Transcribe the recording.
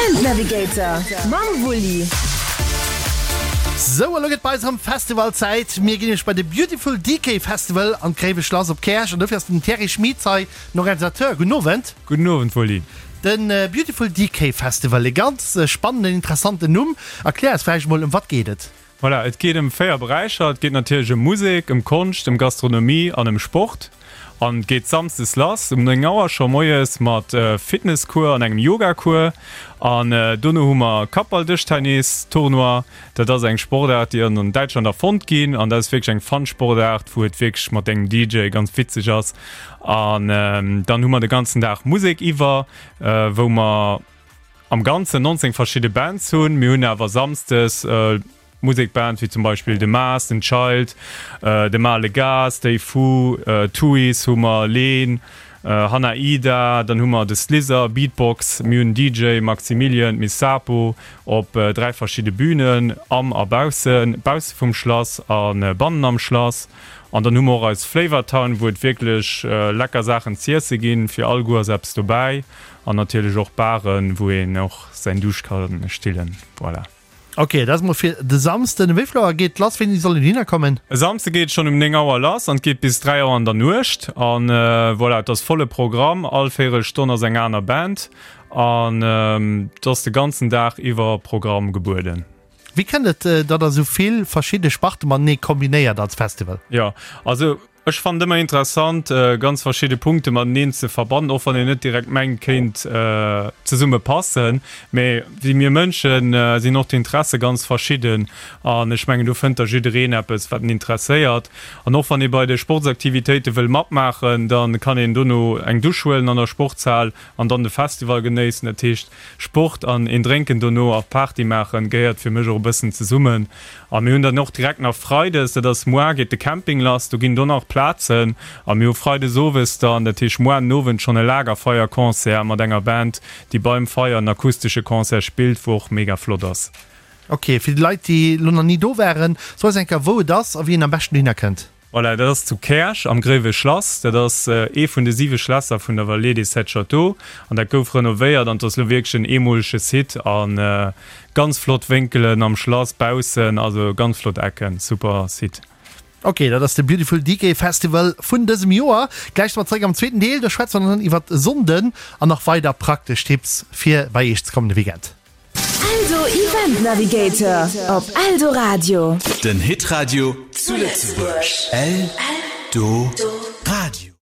Event Navigator mam Wulli. Sou, elo gëtt bei eis erëm Festivalzäit. Mir ginn nämlech bei de Beautiful Decay Festival an d'Gréiweschlass op Käerch an dofir ass den Thierry Schmieds hei, den Organisateur. Gudden Owend. Gudden Owend, Wulli. De Beautiful Decay Festival, e ganz spannenden, interessanten Numm. Erklär eis vläicht emol, ëm wat geet et? Voilà, et geet ëm 4 Beräicher. Et geet natierlech ëm Musek, ëm Konscht, ëm Gastronomie an ëm Sport. An et geet samsdes lass um 9 Auer scho moies mat Fitnesscours an engem Yogacours. An dono hu mer Kappball-Dëschtennis-Tournoi. Dat ass eng Sportaart, déi an Däitschland erfonnt ginn. An dat ass wierklech eng fun Sportaart, wou et wierklech mat engem DJ ganz witzeg ass. An dann hu mer de ganzen Dag Musek iwwer, wou mer, Am Ganzen 19 verschidde Bands hunn. Mir hunn awer Samsdes Musekbands wéi zum Beispill de Maas, den Child, de Male Gars, Stay Fu, Tuis hu mer, Leen, Hanna Ida, dann hu mer de Slizzer, Beatbox, mir hunn DJ Maximilian, d'Miss Sapo op 3 verschidde Bünen, am a baussen, bausse vum Schlass a bannen am Schlass. An dann hu mer och eis Flavor Town, wou et wierklech lecker Saachen z'iesse ginn, fir all Goût ass eppes dobäi. An natierlech och Baren, wou een och säin Duuscht ka stillen. Voilà. Ok, dat ass mol fir de Samsden. Um wéi vill Auer geet lass? Wéini soll een dohinner kommen? E Samsde geet et schonn um 9 Auer lass an et geet bis 3 Auer an der Nuecht. An voilà, et ass volle Programm, all véierel Stonn ass eng aner Band an et ass de ganzen Dag iwwer Programm gebueden. Wéi kënnt et, datt der esou vill verschidde Sparte matenee kombinéiert als Festival? Jo, also Ech fannen et ëmmer interessant ganz verschidde Punkte mateneen ze verbannen, och wann een net direkt mengt kéint zesumme passen. Mee wéi mir Mënschen sinn och d'Interesse ganz verschidden an ech mengen do fënnt da jiddereen eppes wat en interesséiert. An och wann ee bei de Sportsaktivitéite wëll matmaachen, da kann een dono eng Dusch huelen an der Sportshal an dann de Festival genéissen. Dat heescht Sport an een Drénken dono a Party maachen gehéiert fir mech och e bëssen zesummen. A mir hunn dann och direkt nach Freides, dat ass moar geet de Camping lass, do ginn do nach Plazen. A mir hu Freides owes dann, dat heescht moar den Owend schonn e Lagerfeierconcert mat enger Band, déi beim Feier en akustesche Concert spillt, wou och mega flott ass. Ok, fir déi Leit, déi elo nach ni do waren, so eis eng Kéier wou et ass a wéi een am beschten dohinner kënnt. Voilà, dat ass zu Käerch am Gréiwe Schlass. Dat ass ee vun de siwe Schlässer vun der Vallée des Sept Châteaux an dat gouf renovéiert an et ass elo wierklech en eemolege Site a ganz flott Wénkelen am Schlass baussen, also ganz flott Ecken, super Site. Ok, dat ass de Beautiful Decay Festival vun dësem Joer. Gläich si mer zeréck am zweeten Deel, do schwätze mer dann iwwert e Sonnden an nach weider praktesch Tipps fir bei Iech ze kommen de Weekend. Eldo Event Navigator op Eldoradio. Den Hitradio zu Lëtzebuerg. Eldoradio.